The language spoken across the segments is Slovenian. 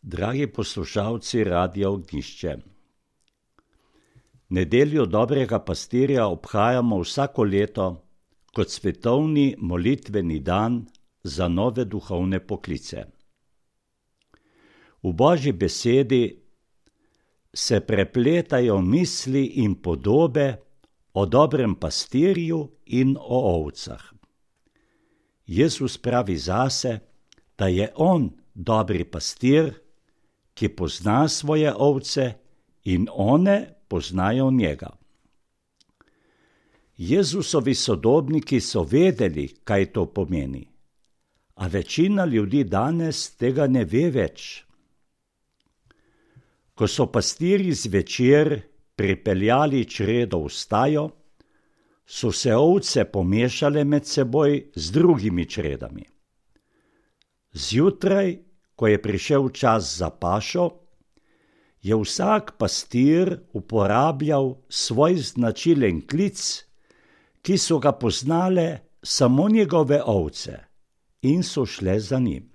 Dragi poslušalci Radia Ognjišče, Nedeljo dobrega pastirja obhajamo vsako leto kot svetovni molitveni dan za nove duhovne poklice. V Božji besedi se prepletajo misli in podobe o dobrem pastirju in o ovcah. Jezus pravi zase, da je on dobri pastir, ki pozna svoje ovce in one poznajo njega. Jezusovi sodobniki so vedeli, kaj to pomeni, a večina ljudi danes tega ne ve več. Ko so pastirji zvečer pripeljali čredo v stajo, so se ovce pomešale med seboj z drugimi čredami. Zjutraj, ko je prišel čas za pašo, je vsak pastir uporabljal svoj značilen klic, ki so ga poznale samo njegove ovce in so šle za njim.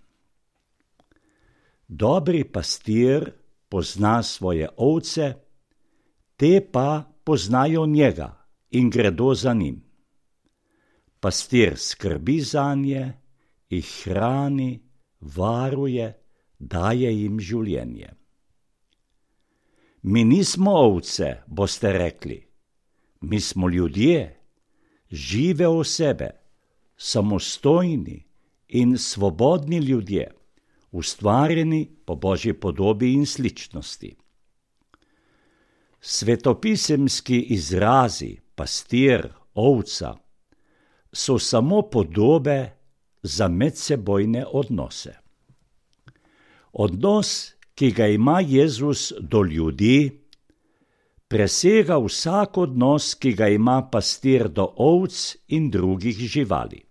Dobri pastir pozna svoje ovce, te pa poznajo njega in gredo za njim. Pastir skrbi zanje, jih hrani, varuje, daje jim življenje. Mi nismo ovce, boste rekli. Mi smo ljudje, žive osebe, samostojni in svobodni ljudje, ustvarjeni po Božji podobi in sličnosti. Svetopisemski izrazi pastir, ovca so samo podobe za medsebojne odnose. Odnos, ki ga ima Jezus do ljudi, presega vsak odnos, ki ga ima pastir do ovc in drugih živali.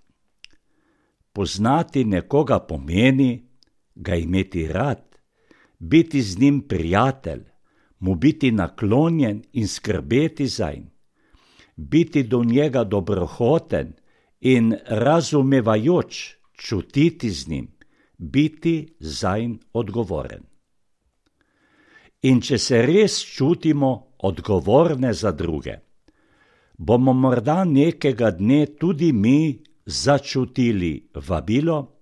Poznati nekoga pomeni ga imeti rad, biti z njim prijatelj, mu biti naklonjen in skrbeti zanj, biti do njega dobrohoten in razumevajoč, čutiti z njim, biti zanj odgovoren. In če se res čutimo odgovorne za druge, bomo morda nekega dne tudi mi začutili vabilo,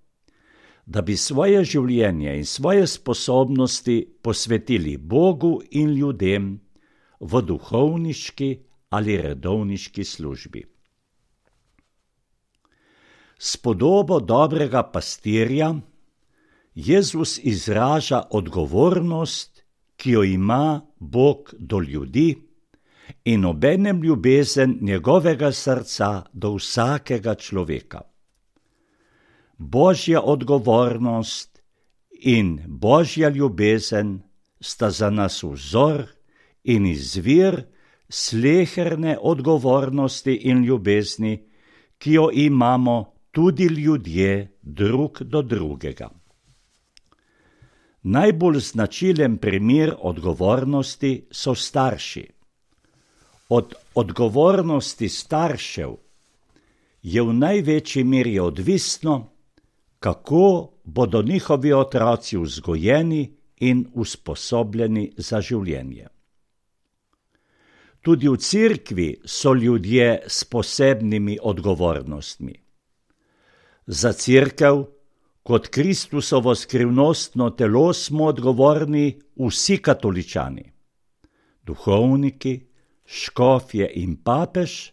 da bi svoje življenje in svoje sposobnosti posvetili Bogu in ljudem v duhovniški ali redovniški službi. S podobo dobrega pastirja Jezus izraža odgovornost, ki jo ima Bog do ljudi in obenem ljubezen njegovega srca do vsakega človeka. Božja odgovornost in Božja ljubezen sta za nas vzor in izvir sleherne odgovornosti in ljubezni, ki jo imamo tudi ljudje drug do drugega. Najbolj značilen primer odgovornosti so starši. Od odgovornosti staršev je v največji meri odvisno, kako bodo njihovi otroci vzgojeni in usposobljeni za življenje. Tudi v cerkvi so ljudje s posebnimi odgovornostmi. Za cerkev kot Kristusovo skrivnostno telo smo odgovorni vsi katoličani. Duhovniki, škofje in papež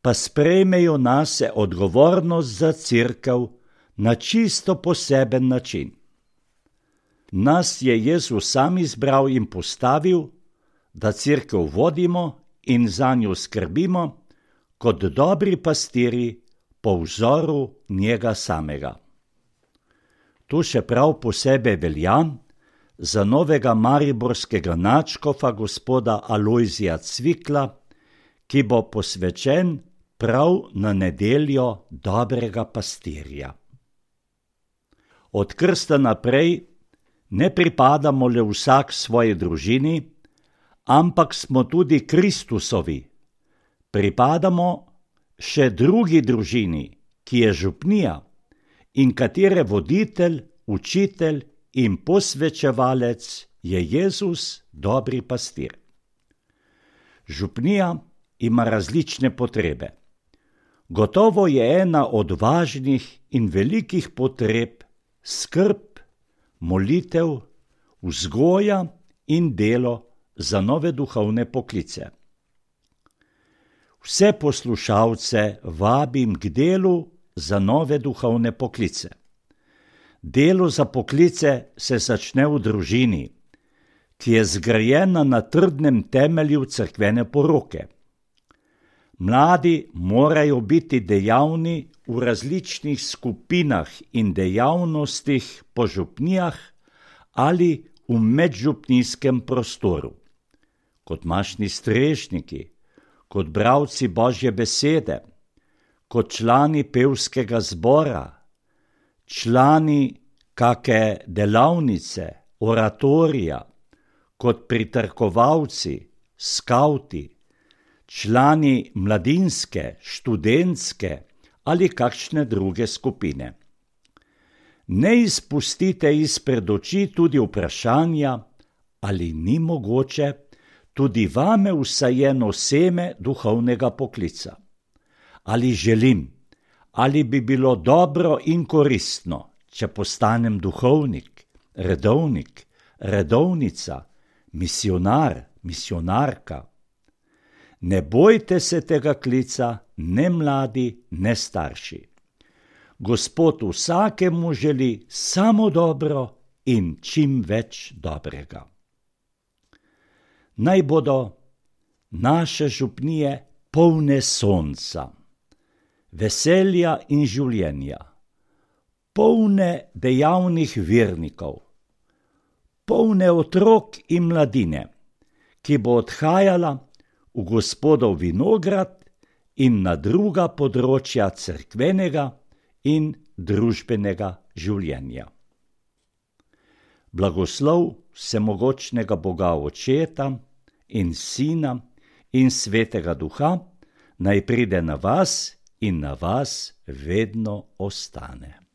pa sprejmejo nase odgovornost za cerkev na čisto poseben način. Nas je Jezus sam izbral in postavil, da cerkev vodimo in zanjo skrbimo kot dobri pastirji po vzoru njega samega. To še prav posebej velja za novega mariborskega nadškofa gospoda Alojzija Cvikla, ki bo posvečen prav na nedeljo dobrega pastirja. Od krsta naprej ne pripadamo le vsak svoji družini, ampak smo tudi Kristusovi. Pripadamo še drugi družini, ki je župnija in katere voditelj, učitelj in posvečevalec je Jezus, dobri pastir. Župnija ima različne potrebe. Gotovo je ena od važnih in velikih potreb skrb, molitev, vzgoja in delo za nove duhovne poklice. Vse poslušalce vabim k delu za nove duhovne poklice. Delo za poklice se začne v družini, ki je zgrajena na trdnem temelju cerkvene poroke. Mladi morajo biti dejavni v različnih skupinah in dejavnostih po župnijah ali v medžupnijskem prostoru, kot mašni strežniki, kot bralci Božje besede, kot člani pevskega zbora, člani kake delavnice, oratorija, kot pritrkovalci, skavti, člani mladinske, študentske ali kakšne druge skupine. Ne izpustite izpred oči tudi vprašanja, ali ni mogoče tudi vame vsajeno seme duhovnega poklica. Ali želim, ali bi bilo dobro in koristno, če postanem duhovnik, redovnik, redovnica, misionar, misionarka. Ne bojte se tega klica, ne mladi, ne starši. Gospod vsakemu želi samo dobro in čim več dobrega. Naj bodo naše župnije polne sonca, veselja in življenja, polne dejavnih vernikov, polne otrok in mladine, ki bo odhajala v Gospodov vinograd in na druga področja cerkvenega in družbenega življenja. Blagoslov vsemogočnega Boga Očeta in Sina in Svetega Duha naj pride na vas in na vas vedno ostane.